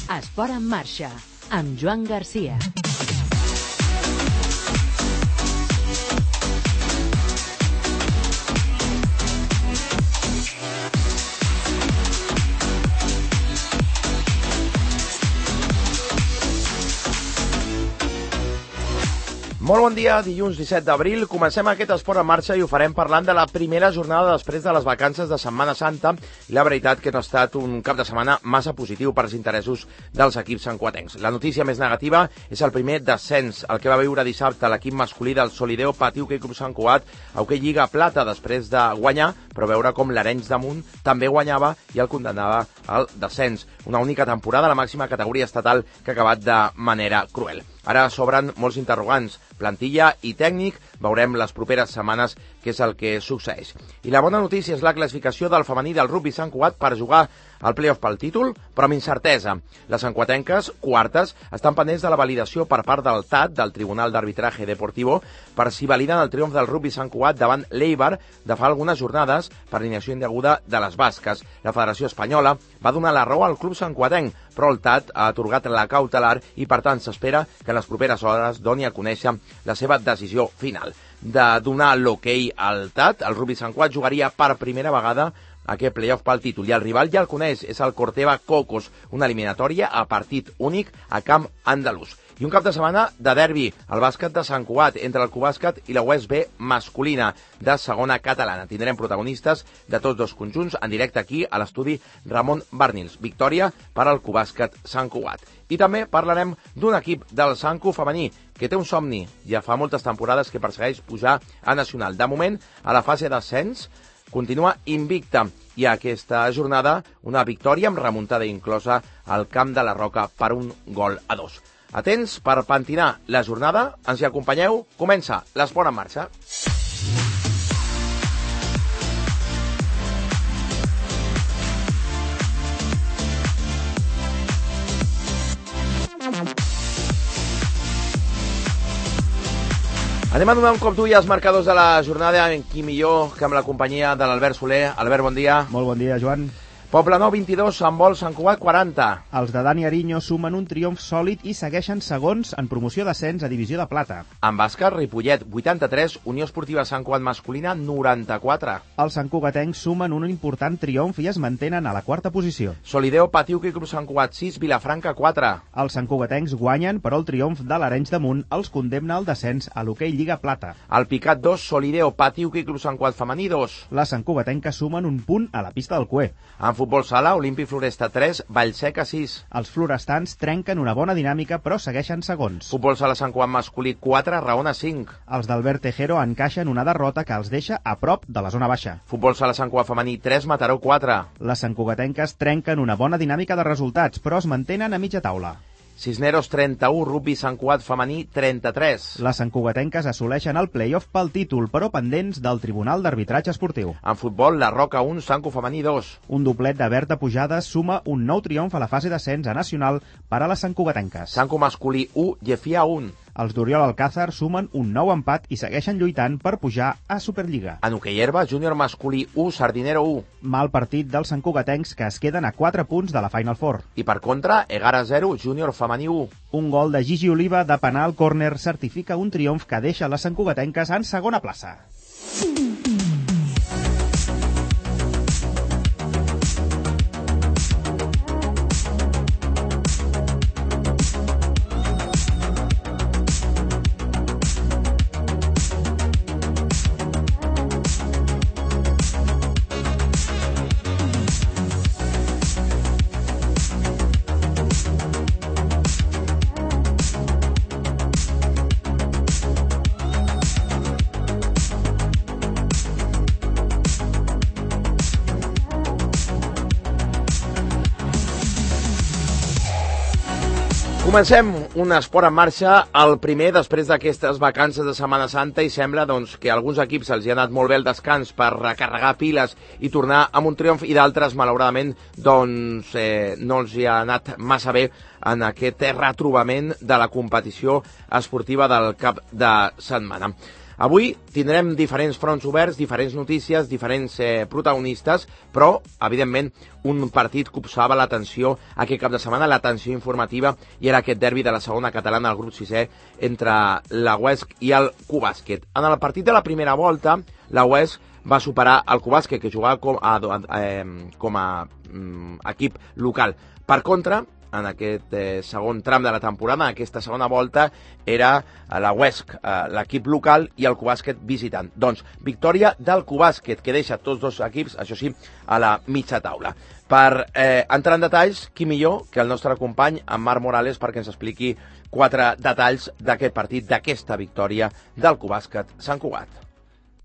Esport en marxa, amb Joan Garcia. Molt bon dia, dilluns 17 d'abril. Comencem aquest esport en marxa i ho farem parlant de la primera jornada després de les vacances de Setmana Santa. I la veritat que no ha estat un cap de setmana massa positiu per als interessos dels equips santcugatencs. La notícia més negativa és el primer descens, el que va viure dissabte l'equip masculí del Solideo Patí Hoquei Club Sant Cugat a Hoquei Lliga Plata després de guanyar, però veure com l'Arenys de Munt també guanyava i el condemnava al descens. Una única temporada a la màxima categoria estatal que ha acabat de manera cruel. Ara s'obren molts interrogants, plantilla i tècnic, veurem les properes setmanes què és el que succeeix. I la bona notícia és la classificació del femení del rugby Sant Cugat per jugar al play-off pel títol, però amb incertesa. Les santcugatenques, quartes, estan pendents de la validació per part del TAT, del Tribunal d'Arbitraje Deportivo, per si validen el triomf del rugby Sant Cugat davant l'Eibar de fa algunes jornades per alineació indeguda de les basques. La Federació Espanyola va donar la raó al club santcugatenc, però el TAT ha atorgat la cautelar i, per tant, s'espera que en les properes hores doni a conèixer la seva decisió final. De donar l'hoquei al TAT, el rugby Sant Cugat jugaria per primera vegada aquest play-off pel títol, i el rival ja el coneix, és el Corteva Cocos, una eliminatòria a partit únic a camp andalús. I un cap de setmana de derbi, el bàsquet de Sant Cugat, entre el Cubàsquet i la USB masculina de segona catalana. Tindrem protagonistes de tots dos conjunts en directe aquí a l'estudi Ramon Barnils. Victòria per al Cubàsquet Sant Cugat. I també parlarem d'un equip del Sancu femení que té un somni, ja fa moltes temporades que persegueix pujar a nacional. De moment, a la fase d'ascens, continua invicta i aquesta jornada una victòria amb remuntada inclosa al Camp de la Roca per 1-2. Atents per pentinar la jornada, ens hi acompanyeu, comença l'esport en marxa. Anem a donar un cop d'ull als marcadors de la jornada, en qui millor que amb la companyia de l'Albert Soler. Albert, bon dia. Molt bon dia, Joan. Poblenou 22, Sant Bol, Sant Cugat 40. Els de Dani Ariño sumen un triomf sòlid i segueixen segons en promoció d'ascens a Divisió de Plata. En bàsquet, Ripollet 83, Unió Esportiva Sant Cugat masculina 94. Els santcugatencs sumen un important triomf i es mantenen a la quarta posició. Solideo Patí Hoquei Club Sant Cugat 6, Vilafranca 4. Els santcugatencs guanyen, però el triomf de l'Arenys de Munt els condemna al descens a l'Hoquei Lliga Plata. El Picat 2, Solideo Patí Hoquei Club Sant Cugat femení 2. Les santcugatenques sumen un punt a la pista del Cué. En futbol sala, Olimpi Floresta 3, Vallseca 6. Els florestans trenquen una bona dinàmica, però segueixen segons. Futbol sala Sant Cugat masculí 4, Raona 5. Els d'Albert Tejero encaixen una derrota que els deixa a prop de la zona baixa. Futbol sala Sant Cugat femení 3, Mataró 4. Les santcugatenques trenquen una bona dinàmica de resultats, però es mantenen a mitja taula. Cisneros 31, Rugby Sant Cugat femení 33. Les santcugatenques assoleixen el play-off pel títol, però pendents del Tribunal d'Arbitratge Esportiu. En futbol, la Roca 1, Sancu femení 2. Un doblet de Berta Pujades suma un nou triomf a la fase d'ascens a nacional per a les santcugatenques. Sancu masculí 1, Gefia 1. Els d'Oriol Alcázar sumen un nou empat i segueixen lluitant per pujar a Superliga. En hoquei herba, júnior masculí 1, Sardinero 1. Mal partit dels santcugatencs que es queden a 4 punts de la Final Four. I per contra, Egara 0, júnior femení 1. Un gol de Gigi Oliva de penal córner certifica un triomf que deixa les santcugatenques en segona plaça. Comencem un esport en marxa, el primer després d'aquestes vacances de Setmana Santa, i sembla doncs, que a alguns equips els hi ha anat molt bé el descans per recarregar piles i tornar amb un triomf, i d'altres, malauradament, doncs, no els hi ha anat massa bé en aquest retrobament de la competició esportiva del cap de setmana. Avui tindrem diferents fronts oberts, diferents notícies, diferents protagonistes, però, evidentment, un partit que obsava l'atenció aquest cap de setmana, l'atenció informativa, i era aquest derbi de la segona catalana del grup 6è entre la UESC i el Cubàsquet. En el partit de la primera volta, la UESC va superar el Cubàsquet, que jugava com a equip local. Per contra, en aquest segon tram de la temporada, en aquesta segona volta, era la UESC, l'equip local, i el Cubàsquet visitant. Doncs, victòria del Cubàsquet, que deixa tots dos equips, això sí, a la mitja taula. Per entrar en detalls, qui millor que el nostre company, en Marc Morales, perquè ens expliqui 4 detalls d'aquest partit, d'aquesta victòria del Cubàsquet Sant Cugat.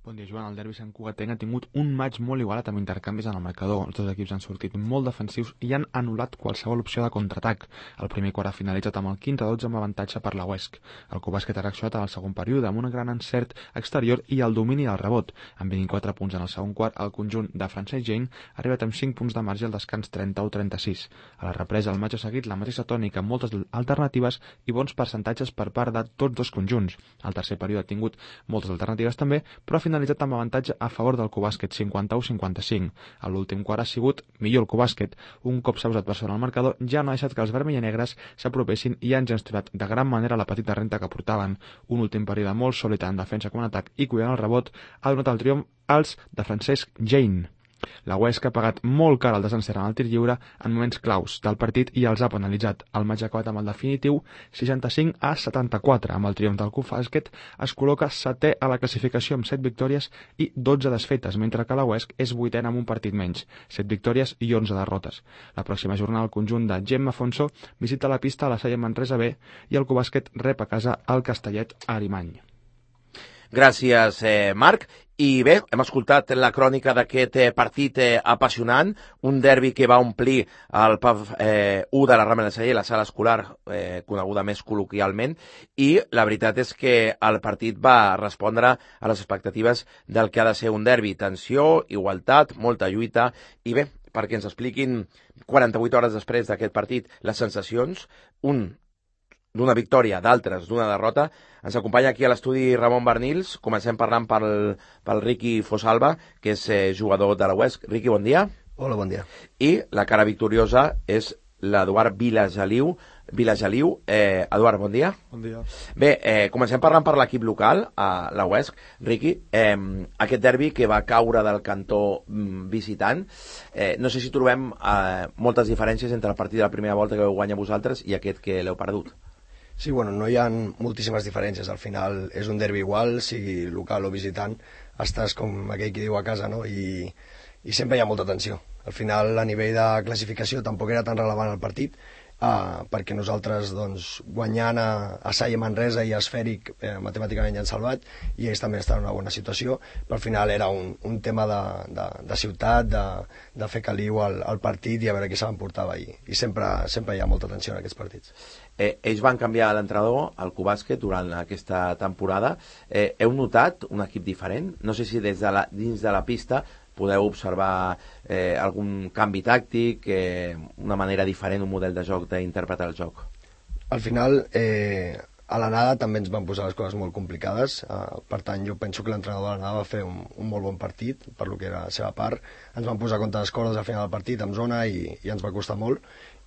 Bon dia, Joan. El derbi santcugatenc ha tingut un maig molt igualat amb intercanvis en el marcador. Els dos equips han sortit molt defensius i han anul·lat qualsevol opció de contraatac. El primer quart ha finalitzat amb el 15-12 amb avantatge per la UESC. El Cubàsquet ha reaccionat en el segon període amb un gran encert exterior i el domini del rebot. Amb 24 punts en el segon quart, el conjunt de Francesc Jain ha arribat amb 5 punts de marge al descans 31-36. A la represa, el maig ha seguit la mateixa tònica amb moltes alternatives i bons percentatges per part de tots dos conjunts. El tercer període ha tingut moltes alternatives també, però ha finalitzat amb avantatge a favor del Cubàsquet, 51-55. A l'últim quart ha sigut millor el Cubàsquet. Un cop s'ha posat per sobre el marcador, ja no ha deixat que els vermellanegres s'apropessin i han gestionat de gran manera la petita renta que portaven. Un últim període molt sòlid en defensa com en atac i cuidant el rebot ha donat el triomf als de Francesc Jain. La UESC ha pagat molt car el desencert en el tir lliure en moments claus del partit i els ha penalitzat. El maig ha acabat amb el definitiu 65-74. Amb el triomf del Cubàsquet es col·loca 7è a la classificació amb 7 victòries i 12 desfetes, mentre que la UESC és 8è amb un partit menys, 7 victòries i 11 derrotes. La pròxima jornada el conjunt de Gemma Afonso visita la pista a la Salle Manresa B i el Cubàsquet rep a casa el Castellet a Arimany. Gràcies, Marc. I bé, hem escoltat la crònica d'aquest partit apassionant, un derbi que va omplir el PAF 1 de la Rambla de Sallent, la sala escolar, coneguda més col·loquialment, i la veritat és que el partit va respondre a les expectatives del que ha de ser un derbi. Tensió, igualtat, molta lluita, i bé, perquè ens expliquin 48 hores després d'aquest partit les sensacions, d'una victòria, d'altres d'una derrota. Ens acompanya aquí a l'estudi Ramon Barnils. Comencem parlant pel Riqui Fosalva, que és jugador de la UESC. Riqui, bon dia. Hola, bon dia. I la cara victoriosa és l'Eduard Vilageliu. Eduard, bon dia. Bon dia. Bé, comencem parlant per l'equip local, a la UESC. Riqui, aquest derbi que va caure del cantó visitant, no sé si trobem moltes diferències entre el partit de la primera volta que vau guanyar vosaltres i aquest que l'heu perdut. Sí, bueno, no hi ha moltíssimes diferències. Al final és un derbi igual, sigui local o visitant, estàs com aquell qui diu a casa, no? I sempre hi ha molta tensió. Al final, a nivell de classificació, tampoc era tan relevant el partit, perquè nosaltres, doncs, guanyant a Salle Manresa i a Esfèric, matemàticament ja han salvat, i ells també estan en una bona situació, però al final era un tema de ciutat, de fer caliu al partit i a veure qui se l'emportava, i sempre hi ha molta tensió en aquests partits. Ells van canviar l'entrenador, el Cubàsquet, durant aquesta temporada. Heu notat un equip diferent? No sé si dins de la pista podeu observar algun canvi tàctic, una manera diferent, un model de joc d'interpretar el joc. Al final, a l'anada també ens van posar les coses molt complicades, per tant jo penso que l'entrenador de l'anada va fer un molt bon partit per lo que era la seva part. Ens van posar contra les cordes al final del partit amb zona i ens va costar molt,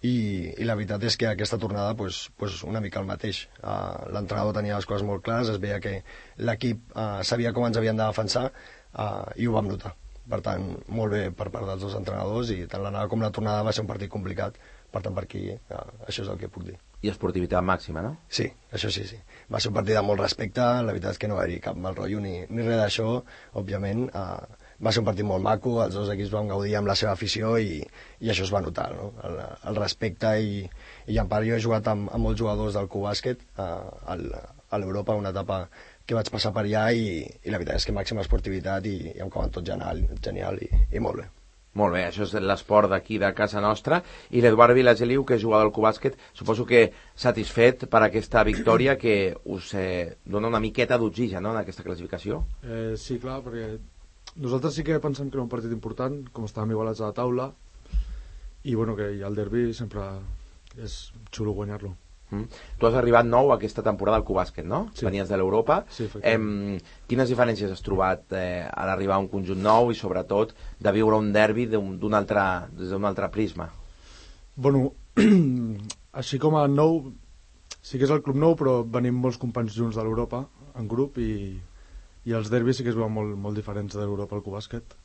i la veritat és que aquesta tornada pues, una mica el mateix. L'entrenador tenia les coses molt clares, es veia que l'equip sabia com ens havien de defensar, i ho vam notar. Per tant, molt bé per part dels dos entrenadors, i tant l'anada com la tornada va ser un partit complicat. Per tant, per aquí, això és el que puc dir. I esportivitat màxima, no? Sí, això sí. Va ser un partit de molt respecte, la veritat és que no va haver cap mal rotllo ni res d'això, òbviament. Va ser un partit molt maco, els dos equips van gaudir amb la seva afició i això es va notar, no? El respecte, i en part jo he jugat amb molts jugadors del Cubàsquet a l'Europa, una etapa que vaig passar per allà, i la veritat és que màxima esportivitat i em cauen tot genial i molt bé. Molt bé, això és l'esport d'aquí, de casa nostra. I l'Eduard Vilageliu, que és jugador del Cubàsquet, suposo que satisfet per aquesta victòria que us dona una miqueta d'oxigen, no?, en aquesta classificació. Sí, clar, perquè nosaltres sí que pensem que era un partit important, com estàvem igualats a la taula, i bueno, que el derbi sempre és xulo guanyar-lo. Tu has arribat nou aquesta temporada al Cubàsquet, no? Sí. Venies de l'Europa. Sí, efectivament. Quines diferències has trobat a l'arribar a un conjunt nou i sobretot de viure un derbi des d'un altre prisma? Bueno, així com a nou, sí que és el club nou, però venim molts companys junts de l'Europa, en grup, i els derbis sí que es veuen molt diferents de l'Europa al Cubàsquet,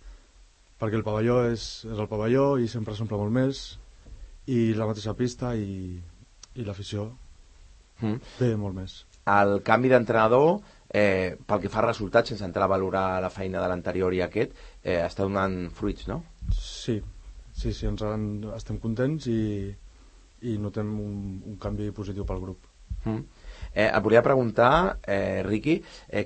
perquè el pavelló és el pavelló i sempre s'omple molt més, i la mateixa pista i l'afició ve molt més. El canvi d'entrenador, pel que fa a resultats, sense entrar a valorar la feina de l'anterior i aquest, està donant fruits, no? Sí, estem contents i notem un canvi positiu pel grup. Et volia preguntar, Riqui,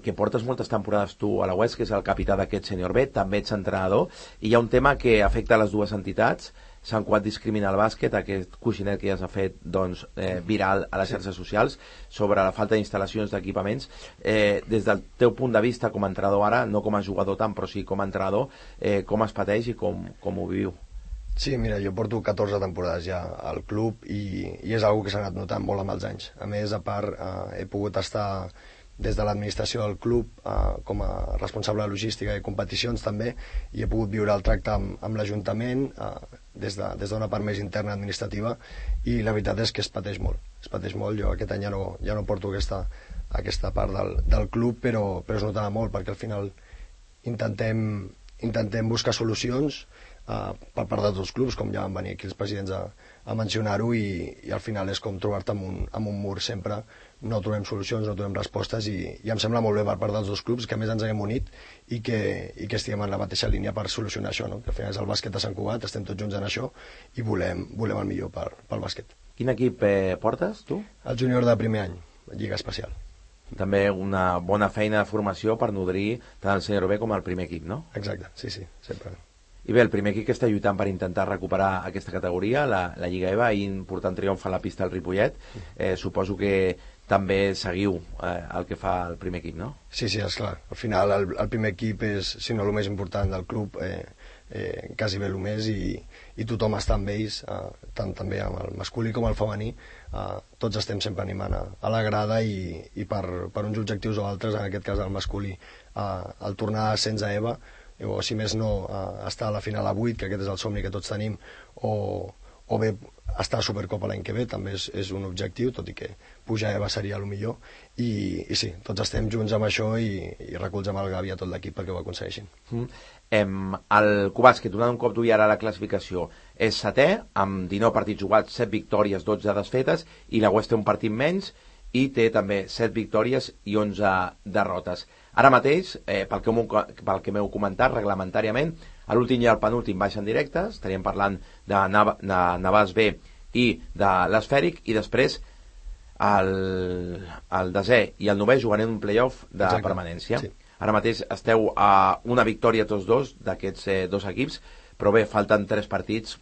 que portes moltes temporades tu a la UES, que és el capità d'aquest sènior B, també ets entrenador, i hi ha un tema que afecta les dues entitats. Sant Cugat discrimina el bàsquet, aquest coixinet que ja s'ha fet viral a les xarxes socials sobre la falta d'instal·lacions d'equipaments. Des del teu punt de vista com a entrenador ara, no com a jugador tant, però sí com a entrenador, com es pateix i com ho viu? Sí, mira, jo porto 14 temporades ja al club i és una que s'ha anat notant molt amb els anys. A més, a part, he pogut estar des de l'administració del club com a responsable de logística i competicions també, i he pogut viure el tracte amb l'Ajuntament des d'una part més interna administrativa, i la veritat és que es pateix molt. Jo aquest any ja no porto aquesta part del club, però es notava molt, perquè al final intentem buscar solucions per part de tots els clubs, com ja van venir aquí els presidents a mencionar-ho, i al final és com trobar-te amb un mur sempre. No trobem solucions, no trobem respostes, i em sembla molt bé per part dels dos clubs que a més ens haguem unit i que estiguem en la mateixa línia per solucionar això, no? Que al final és el bàsquet de Sant Cugat, estem tots junts en això i volem el millor pel bàsquet. Quin equip portes, tu? El júnior de primer any, Lliga Especial. També una bona feina de formació per nodrir tant el sènior B com el primer equip, no? Exacte, sí, sempre. I bé, el primer equip que està lluitant per intentar recuperar aquesta categoria, la Lliga EVA, i important triomf a la pista del Ripollet. Suposo que també seguiu el que fa el primer equip, no? Sí, esclar. Al final el primer equip és, si no el més important del club, quasi bé el més, i tothom està amb ells, tant també amb el masculí com el femení. Tots estem sempre animant a la grada, i per uns objectius o altres, en aquest cas el masculí, el tornar a ascens a EVA, o si més no estar a la final a 8, que aquest és el somni que tots tenim, o bé estar a Supercopa l'any que ve, també és un objectiu, tot i que pujar a EVA seria el millor, i sí, tots estem junts amb això, i recolzem el Gavi a tot l'equip perquè ho aconsegueixin. El Cubàsquet, donant un cop d'ull ara a la classificació, és setè, amb 19 partits jugats, 7 victòries, 12 desfetes, i la UES té un partit menys, i té també 7 victòries i 11 derrotes. Ara mateix, pel que m'heu comentat, reglamentàriament, a l'últim i al penúltim baixen directes, estaríem parlant de Navàs B i de l'Esfèric, i després el desè i el novè juguen en un playoff de permanència. Sí. Ara mateix esteu a una victòria tots dos d'aquests dos equips, però bé, falten 3 partits,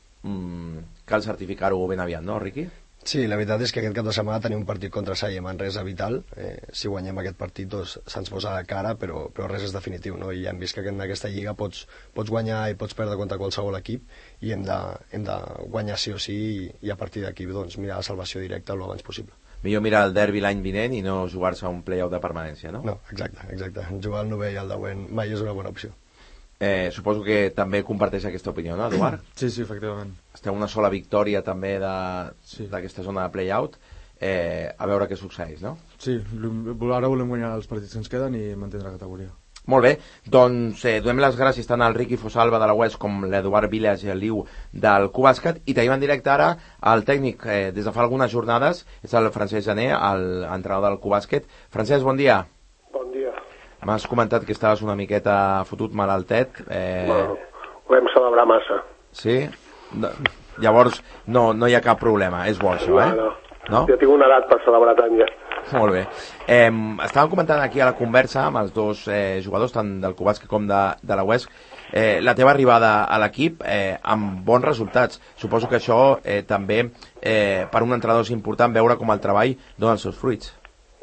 cal certificar-ho ben aviat, no, Riqui? Sí, la veritat és que aquest cap de setmana tenim un partit contra Salle Manresa vital. Si guanyem aquest partit se'ns posa de cara, però res és definitiu, no? I ja hem vist que en aquesta lliga pots guanyar i pots perdre contra qualsevol equip, i hem de guanyar sí o sí, i a partir d'aquí doncs, mirar la salvació directa el abans possible. Millor mirar el derbi l'any vinent i no jugar-se a un play-off de permanència, no? No, exacte. Jugar al 9 i al 10 mai és una bona opció. Suposo que també comparteix aquesta opinió, no, Eduard? Sí, efectivament. Esteu una sola victòria també d'aquesta zona de play-out, a veure què succeeix, no? Sí, ara volem guanyar els partits que ens queden i mantenir la categoria. Molt bé, doncs donem les gràcies tant al Riqui Fosalva de la UES com l'Eduard Vilas i el Liu del Cubàsquet, i tenim en directe ara el tècnic des de fa algunes jornades, és el Francesc Jané, l'entrenador del Cubàsquet. Francesc, bon dia. Bon dia. M'has comentat que estaves una miqueta fotut malaltet. Bueno, ho vam celebrar massa. Sí? Llavors no hi ha cap problema, és bo això, No? Jo tinc una edat per celebrar tant ja. Molt bé. Estàvem comentant aquí a la conversa amb els dos jugadors, tant del Cubàsquet com de la UES, la teva arribada a l'equip amb bons resultats. Suposo que això també per un entrenador és important veure com el treball dona els seus fruits.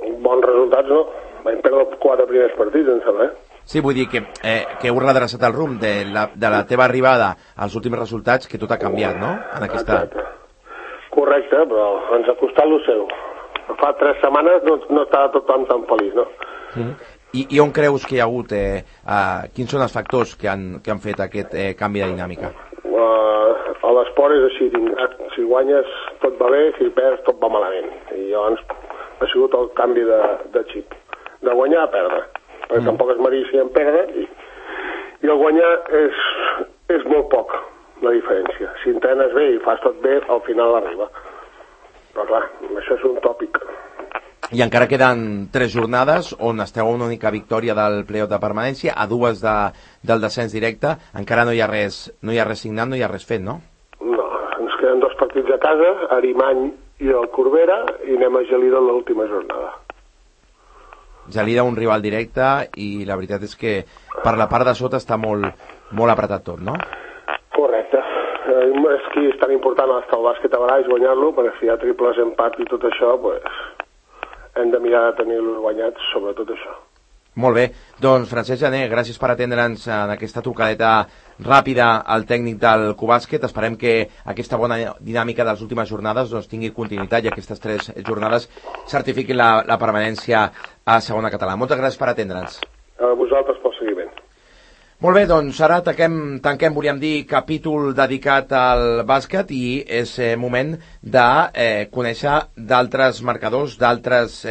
Bons resultats, no? Vam perdre 4 primers partits, em sembla, Sí, vull dir que heu redreçat el rumb de la teva arribada als últims resultats, que tot ha canviat, no? En aquesta... Correcte, però ens ha costat el seu. fa 3 setmanes no estava tothom tan feliç, no? I on creus que hi ha hagut, quins són els factors que han fet aquest canvi de dinàmica? A l'esport és així, si guanyes tot va bé, si perds tot va malament. I llavors ha sigut el canvi de xip, de guanyar a perdre, perquè tampoc es mereixien perdre, i el guanyar és molt poc la diferència. Si entrenes bé i fas tot bé, al final arriba. Però clar, això és un tòpic. I encara queden 3 jornades on esteu a una única victòria del playoff de permanència, a 2 del descens directe, encara no hi ha res signat, no hi ha res fet, no? No, ens queden 2 partits a casa, Arimany i el Corbera, i anem a Gelida l'última jornada. Gelida, un rival directe, i la veritat és que per la part de sota està molt apretat tot, no? Correcte. És que és tan important estar al bàsquet a Baraix, guanyar-lo, perquè si hi ha triples, empat i tot això, hem de mirar de tenir-los guanyats, sobretot això. Molt bé, doncs Francesc Jané, gràcies per atendre'ns en aquesta trucadeta ràpida al tècnic del Cubàsquet. Esperem que aquesta bona dinàmica de les últimes jornades tingui continuïtat i aquestes 3 jornades certifiquin la permanència a segona català. Moltes gràcies per atendre'ns. A vosaltres pel seguiment. Molt bé, doncs ara tanquem, volíem dir, capítol dedicat al bàsquet, i és moment de conèixer d'altres marcadors, d'altres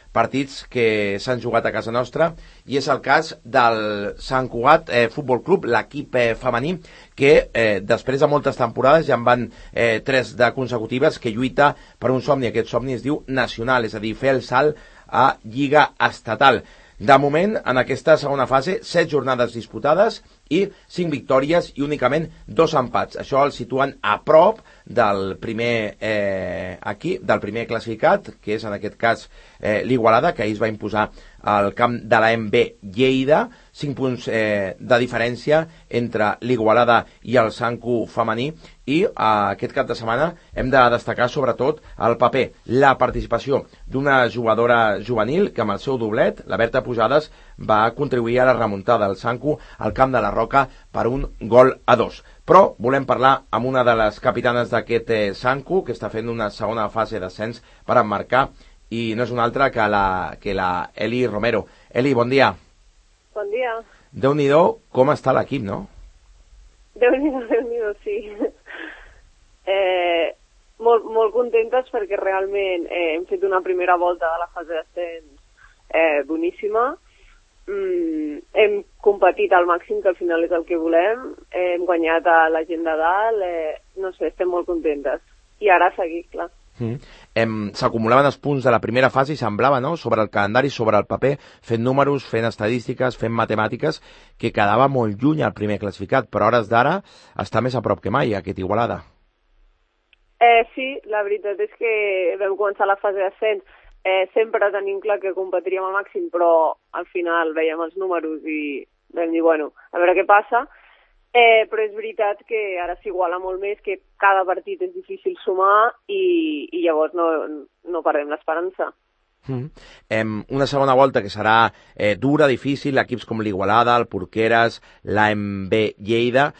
partits que s'han jugat a casa nostra, i és el cas del Sant Cugat Futbol Club, l'equip femení, que després de moltes temporades, ja en van 3 de consecutives, que lluita per un somni. Aquest somni es diu nacional, és a dir, fer el salt a Lliga Estatal. De moment, en aquesta segona fase, 7 jornades disputades i 5 victòries i únicament 2 empats. Això el situen a prop del primer del primer classificat, que és en aquest cas l'Igualada, que ahir es va imposar al camp de la MB Lleida. 5 punts de diferència entre l'Igualada i el Sancu femení, i aquest cap de setmana hem de destacar sobretot el paper, la participació d'una jugadora juvenil que amb el seu doblet, la Berta Pujades, va contribuir a la remuntada del Sancu al camp de la Roca per 1-2. Però volem parlar amb una de les capitanes d'aquest Sancu, que està fent una segona fase d'ascens per emmarcar, i no és una altra que la Eli Romero. Eli, bon dia. Bon dia. Déu-n'hi-do com està l'equip, no? Déu-n'hi-do, sí. Molt contentes perquè realment hem fet una primera volta de la fase d'ascens boníssima. Hem competit al màxim, que al final és el que volem. Hem guanyat a la gent de dalt. No sé, estem molt contentes. I ara seguir, clar. S'acumulaven els punts de la primera fase i semblava, no?, sobre el calendari, sobre el paper, fent números, fent estadístiques, fent matemàtiques, que quedava molt lluny al primer classificat, però a hores d'ara està més a prop que mai aquest Igualada. Sí, la veritat és que vam començar la fase d'ascens sempre tenim clar que competiríem al màxim, però al final veiem els números i vam dir, bueno, a veure què passa. Però és veritat que ara s'iguala molt més, que cada partit és difícil sumar i llavors no perdem l'esperança. Una segona volta que serà dura, difícil, equips com l'Igualada, el Porqueres, l'AMB Lleida.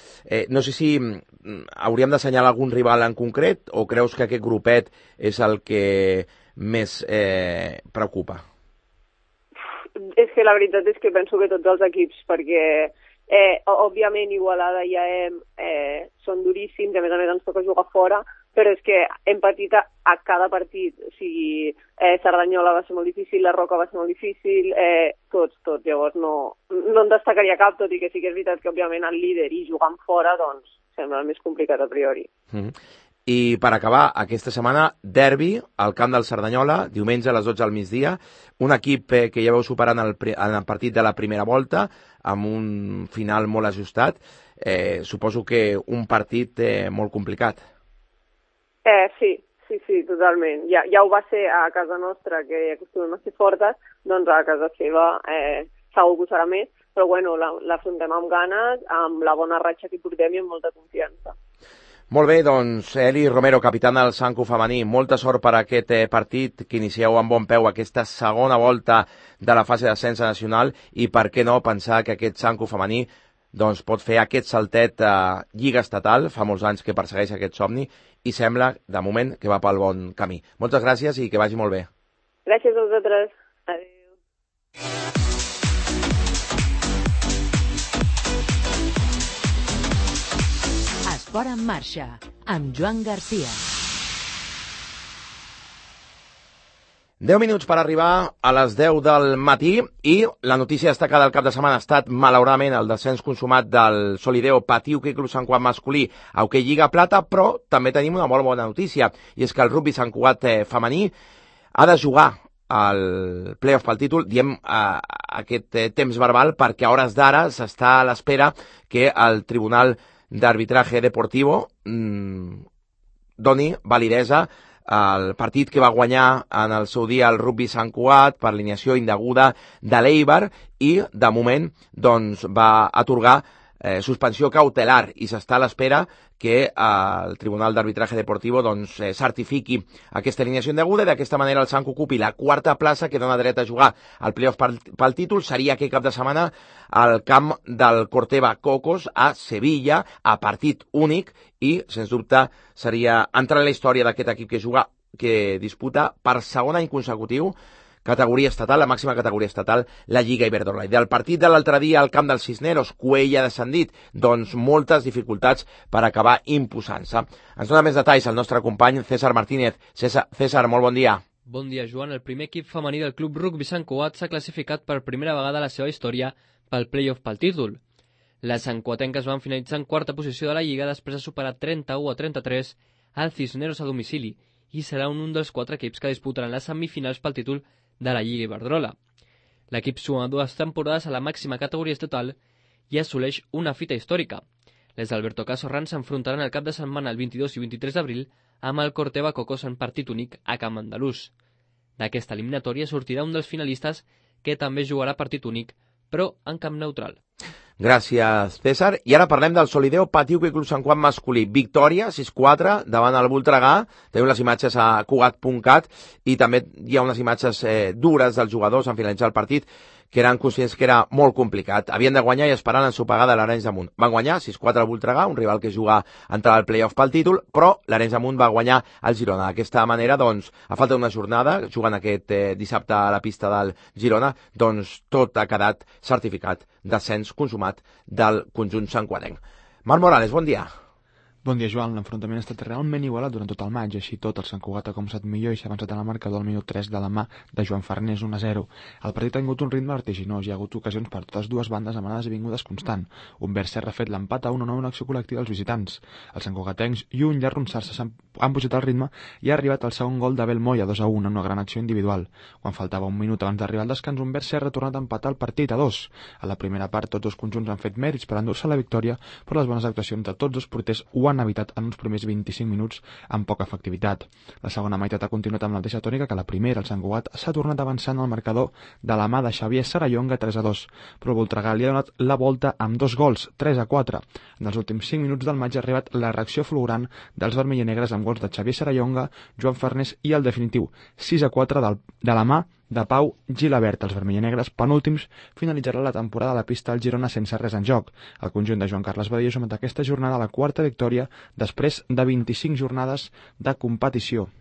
No sé si hauríem d'assenyalar algun rival en concret o creus que aquest grupet és el que més preocupa? És que la veritat és que penso que tots els equips, perquè òbviament Igualada i AM són duríssims, a més ens toca jugar fora, però és que hem patit a cada partit, o sigui, Cerdanyola va ser molt difícil, la Roca va ser molt difícil, tots, llavors no en destacaria cap, tot i que sí que és veritat que òbviament el líder i jugant fora doncs sembla el més complicat a priori. I per acabar, aquesta setmana, derbi al camp del Cerdanyola, diumenge a les 12 al migdia, un equip que ja veu superant el partit de la primera volta, amb un final molt ajustat. Suposo que un partit molt complicat. Sí, totalment. Ja ho va ser a casa nostra, que acostumem a ser fortes, doncs a casa seva segur que ho serà més, però bueno, l'afrontem amb ganes, amb la bona ratxa que portem i amb molta confiança. Molt bé, doncs, Eli Romero, capitana del Sancu femení, molta sort per aquest partit, que inicieu amb bon peu aquesta segona volta de la fase d'ascens nacional, i per què no pensar que aquest Sancu femení doncs, pot fer aquest saltet a Lliga Estatal, fa molts anys que persegueix aquest somni, i sembla, de moment, que va pel bon camí. Moltes gràcies i que vagi molt bé. Gràcies a vosaltres. Adéu. Esport en marxa, amb Joan Garcia. 10 minuts per arribar a les 10 del matí i la notícia destacada del cap de setmana ha estat, malauradament, el descens consumat del Solideo Patí Hoquei Club Sant Cugat masculí a Hoquei Lliga Plata, però també tenim una molt bona notícia, i és que el rugby Sant Cugat femení ha de jugar al playoff pel títol, diem aquest temps verbal, perquè a hores d'ara s'està a l'espera que el Tribunal d'Arbitraje Deportivo doni validesa el partit que va guanyar en el seu dia el rugby Sant Cugat per alineació indeguda de l'Eibar i, de moment, doncs, va atorgar suspensió cautelar i s'està a l'espera que el Tribunal d'Arbitraje Deportivo doncs, certifiqui aquesta alineació indeguda i d'aquesta manera el Sant ocupi la quarta plaça que dona dret a jugar al playoff pel títol. Seria aquest cap de setmana al camp del Corteva Cocos a Sevilla a partit únic i, sens dubte, seria entrar en la història d'aquest equip que disputa per segon any consecutiu categoria estatal, la màxima categoria estatal, la Lliga Iberdrola. I del partit de l'altre dia al camp dels Cisneros, Cuella descendit, doncs moltes dificultats per acabar imposant-se. Ens dona més detalls el nostre company César Martínez. César, molt bon dia. Bon dia, Joan. El primer equip femení del Club Rugby Sant Cugat s'ha classificat per primera vegada a la seva història pel playoff pel títol. Les santcuatenques van finalitzar en quarta posició de la Lliga després de superar 31-33 al Cisneros a domicili i serà un dels 4 equips que disputaran les semifinals pel títol de la Lliga Iberdrola. L'equip suma 2 temporades a la màxima categoria estatal i assoleix una fita històrica. Les d'Alberto Casorran s'enfrontaran el cap de setmana el 22 i 23 d'abril amb el Corteva Cocos en partit únic a Camp Andalús. D'aquesta eliminatòria sortirà un dels finalistes que també jugarà partit únic, però en camp neutral. Gràcies, César. I ara parlem del Solideo Patí Hoquei Club Sant Cugat masculí. Victòria, 6-4, davant el Voltregà. Tenim les imatges a cugat.cat i també hi ha unes imatges dures dels jugadors en finalitzar el partit que eren conscients que era molt complicat. Havien de guanyar i esperant ensopegada l'Arenys de Munt. Van guanyar 6-4 al Voltregà, un rival que juga a entrar al playoff pel títol, però l'Arenys de Munt va guanyar el Girona. D'aquesta manera, doncs, a falta d'una jornada, jugant aquest dissabte a la pista del Girona, doncs tot ha quedat certificat descens consumat del conjunt santcuatenc. Marc Morales, bon dia. Bon dia, Joan. L'enfrontament ha estat realment igualat durant tot el maig. Així tot, el Sant Cugat ha començat millor i s'ha avançat en el marcador al minut 3 de la mà de Joan Farnés, 1-0. El partit ha tingut un ritme vertiginós. Hi ha hagut ocasions per totes dues bandes amb anades i vingudes constant. Humbert Serra ha fet l'empat a 1-1 en acció col·lectiva dels visitants. Els santcugatencs, lluny d'arronsar-se, han pujat el ritme i ha arribat el segon gol d'Abel Moya, 2-1, en una gran acció individual. Quan faltava un minut abans d'arribar al descans, Humbert Serra ha tornat a empatar el partit a 2. A la primera part, tots els conjunts han fet mèrits per endur-se la victòria, però les bones actuacions de tots els porters ho han evitat en uns primers 25 minuts amb poca efectivitat. La segona meitat ha continuat amb la mateixa tònica que la primera. El Sant Cugat s'ha tornat avançant al marcador de la mà de Xavier Sarallonga, 3-2, però el Voltregà li ha donat la volta amb 2 gols, 3-4. En els últims 5 minuts del maig ha arribat la reacció fulgurant dels vermell i negres amb gols de Xavier Sarallonga, Joan Farnés i el definitiu 6-4 de la mà de Pau Gilabert. Els vermellenegres, penúltims, finalitzarà la temporada a la pista al Girona sense res en joc. El conjunt de Joan Carles Badia sotmet aquesta jornada a la quarta victòria després de 25 jornades de competició.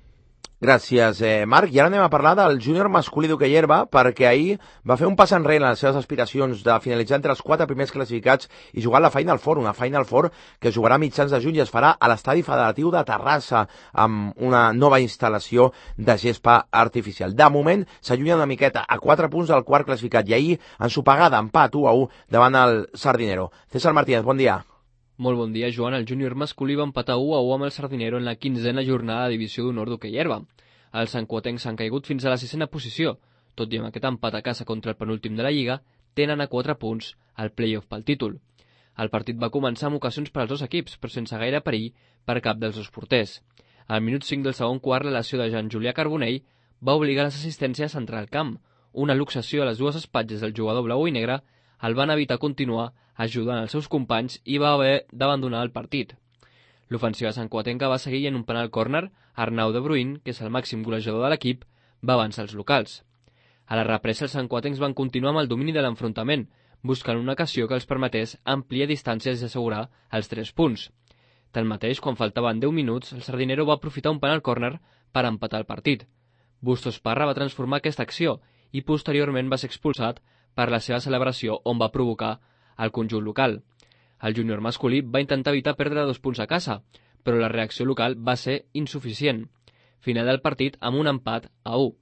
Gràcies, Marc. I ara anem a parlar del júnior masculí d'hoquei herba, perquè ahir va fer un pas enrere en les seves aspiracions de finalitzar entre els 4 primers classificats i jugar a la Final Four, una Final Four que jugarà a mitjans de juny i es farà a l'estadi federatiu de Terrassa amb una nova instal·lació de gespa artificial. De moment s'allunya una miqueta a 4 punts del quart classificat i ahir ensopegada, empat 1-1 davant el Sardinero. César Martínez, bon dia. Molt bon dia, Joan. El júnior masculí va empatar 1-1 amb el Sardinero en la 15a jornada de divisió d'honor d'hoquei herba. Els santcuatencs s'han caigut fins a la 6a posició. Tot i amb aquest empat a casa contra el penúltim de la Lliga, tenen a 4 punts al playoff pel títol. El partit va començar amb ocasions per als dos equips, però sense gaire perill per cap dels dos porters. Al minut 5 del segon quart, la lesió de Jean Julià Carbonell va obligar les assistències a entrar al camp. Una luxació a les dues espatlles del jugador blau i negre el van evitar continuar ajudant els seus companys i va haver d'abandonar el partit. L'ofensiva santcuatenca va seguir en un penal córner. Arnau de Bruin, que és el màxim golejador de l'equip, va avançar els locals. A la represa, els santcuatencs van continuar amb el domini de l'enfrontament, buscant una ocasió que els permetés ampliar distàncies i assegurar els 3 punts. Tanmateix, quan faltaven 10 minuts, el Sardinero va aprofitar un penal córner per empatar el partit. Bustos Parra va transformar aquesta acció i posteriorment va ser expulsat per la seva celebració on va provocar el conjunt local. El júnior masculí va intentar evitar perdre 2 punts a casa, però la reacció local va ser insuficient. Final del partit amb un empat a 1.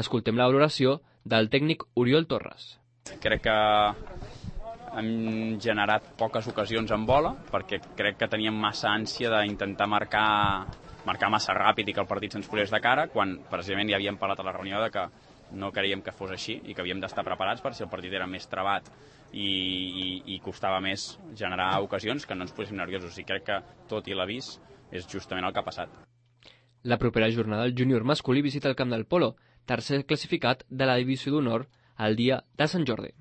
Escoltem la valoració del tècnic Oriol Torres. Crec que hem generat poques ocasions en bola, perquè crec que teníem massa ànsia d'intentar marcar massa ràpid i que el partit se'ns posés de cara, quan precisament ja havíem parlat a la reunió de que no creiem que fos així i que havíem d'estar preparats per si el partit era més trabat i costava més generar ocasions que no ens poséssim nerviosos. I crec que tot i l'avís és justament el que ha passat. La propera jornada el júnior masculí visita el camp del Polo, tercer classificat de la divisió d'honor el dia de Sant Jordi.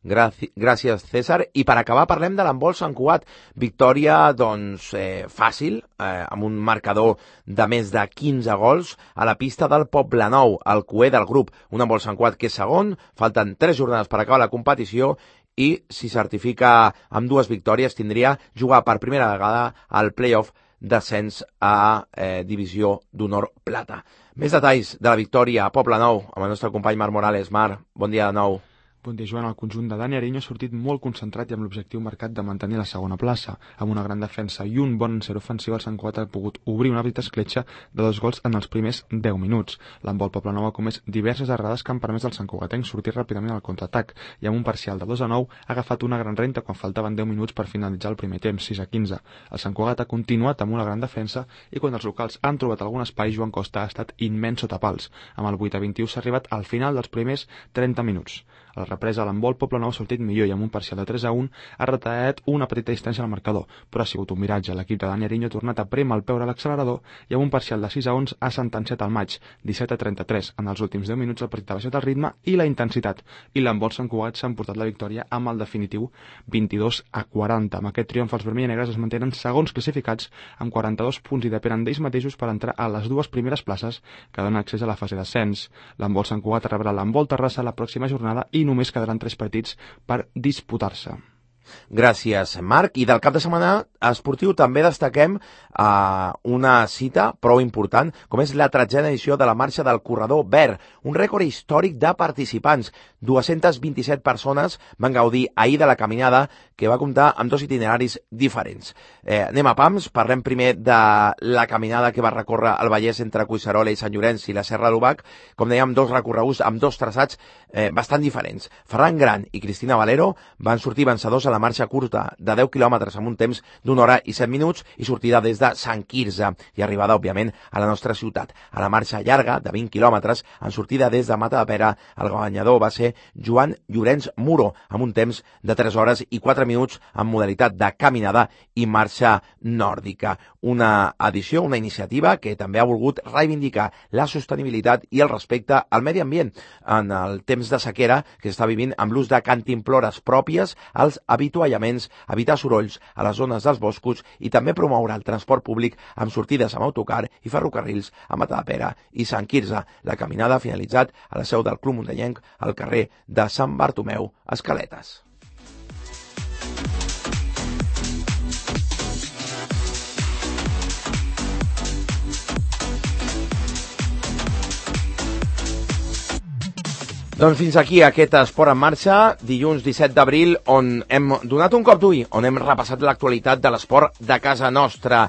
Gràcies, César. I per acabar parlem de l'handbol Sant Cugat. Victòria, doncs, fàcil, amb un marcador de més de 15 gols a la pista del Poblenou, el cué del grup. Un handbol Sant Cugat que és segon, falten 3 jornades per acabar la competició i si certifica amb 2 victòries tindria jugar per primera vegada al play-off d'ascens a divisió d'honor plata. Més detalls de la victòria a Poblenou amb el nostre company Marc Morales. Marc, bon dia de nou. Bon dia, Joan. El conjunt de Dani Ariño ha sortit molt concentrat i amb l'objectiu marcat de mantenir la segona plaça. Amb una gran defensa i un bon encert ofensiu, el Sant Cugat ha pogut obrir una petita escletxa de 2 gols en els primers 10 minuts. L'handbol Poblenou ha comès diverses errades que han permès al Sant Cugatenc sortir ràpidament al contraatac i amb un parcial de 2-9 ha agafat una gran renta quan faltaven 10 minuts per finalitzar el primer temps, 6-15. El Sant Cugat ha continuat amb una gran defensa i quan els locals han trobat algun espai, Joan Costa ha estat immens sota pals. Amb el 8-21 s'ha arribat al final dels primers 30 minuts. A la represa, l'handbol Poblenou ha sortit millor i amb un parcial de 3-1 ha retallat una petita distància al marcador, però ha sigut un miratge. L'equip de Dani Ariño ha tornat a prémer el peu a l'accelerador i amb un parcial de 6-11 ha sentenciat el maig, 17-33. En els últims 10 minuts el partit ha baixat el ritme i la intensitat, i l'handbol Sant Cugat s'ha emportat la victòria amb el definitiu 22-40. Amb aquest triomf els vermell i negres es mantenen segons classificats amb 42 punts i depenen d'ells mateixos per entrar a les 2 primeres places que donen accés a la fase d'ascens. L'handbol Sant Cugat rebrà l'handbol Terrassa la pròxima jornada i només quedaran 3 partits per disputar-se. Gràcies, Marc. I del cap de setmana esportiu també destaquem una cita prou important, com és la 13a edició de la Marxa del Corredor Verd, un rècord històric de participants. 227 persones van gaudir ahir de la caminada, que va comptar amb 2 itineraris diferents. Anem a pams, parlem primer de la caminada que va recórrer el Vallès entre Collserola i Sant Llorenç i la Serra d'Obac, com dèiem, 2 recorreguts amb 2 traçats bastant diferents. Ferran Gran i Cristina Valero van sortir vencedors a la marxa curta de 10 quilòmetres amb un temps d'1 hora i 7 minuts i sortida des de Sant Quirze i arribada, òbviament, a la nostra ciutat. A la marxa llarga de 20 quilòmetres, en sortida des de Matadepera, el guanyador va ser Joan Llorenç Muro, amb un temps de 3 hores i 4 minuts en modalitat de caminada i marxa nòrdica. Una edició, una iniciativa que també ha volgut reivindicar la sostenibilitat i el respecte al medi ambient en el temps de sequera que s'està vivint amb l'ús de cantimplores pròpies als avituallaments, evitar sorolls a les zones dels boscos i també promoure el transport públic amb sortides amb autocar i ferrocarrils a Matadepera i Sant Quirze. La caminada ha finalitzat a la seu del Club Muntanyenc al carrer de Sant Bartomeu, Escaletes. Doncs fins aquí aquest Esport en Marxa, dilluns 17 d'abril, on hem donat un cop d'ull, on hem repassat l'actualitat de l'esport de casa nostra.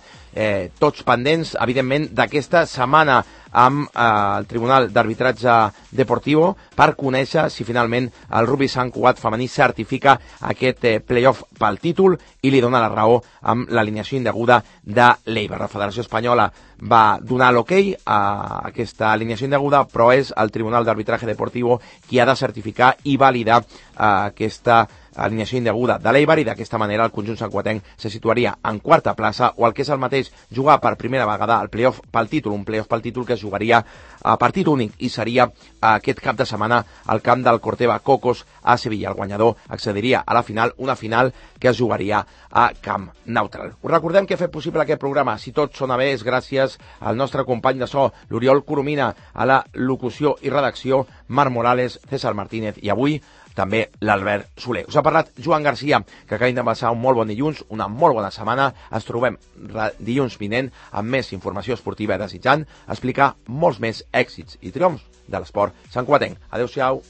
Tots pendents, evidentment, d'aquesta setmana amb el Tribunal d'Arbitratge Deportivo per conèixer si finalment el rugby Sant Cugat femení certifica aquest play-off pel títol i li dona la raó amb l'alineació indeguda de l'Eibar. La Federació Espanyola va donar l'ok a aquesta alineació indeguda, però és el Tribunal d'Arbitratge Deportivo qui ha de certificar i validar aquesta alineació indeguda de l'Eibar i d'aquesta manera el conjunt santcugatenc se situaria en quarta plaça o el que és el mateix, jugar per primera vegada al play-off pel títol, un play-off pel títol que es jugaria a partit únic i seria aquest cap de setmana al camp del Corteva Cocos a Sevilla. El guanyador accediria a la final, una final que es jugaria a camp neutral. Us recordem que ha fet possible aquest programa, si tot sona bé, és gràcies al nostre company de so, l'Oriol Coromina, a la locució i redacció, Marc Morales, César Martínez i avui també l'Albert Soler. Us ha parlat Joan Garcia, que acabem de passar un molt bon dilluns, una molt bona setmana. Ens trobem dilluns vinent amb més informació esportiva, desitjant explicar molts més èxits i triomfs de l'esport santcugatenc. Adéu-siau.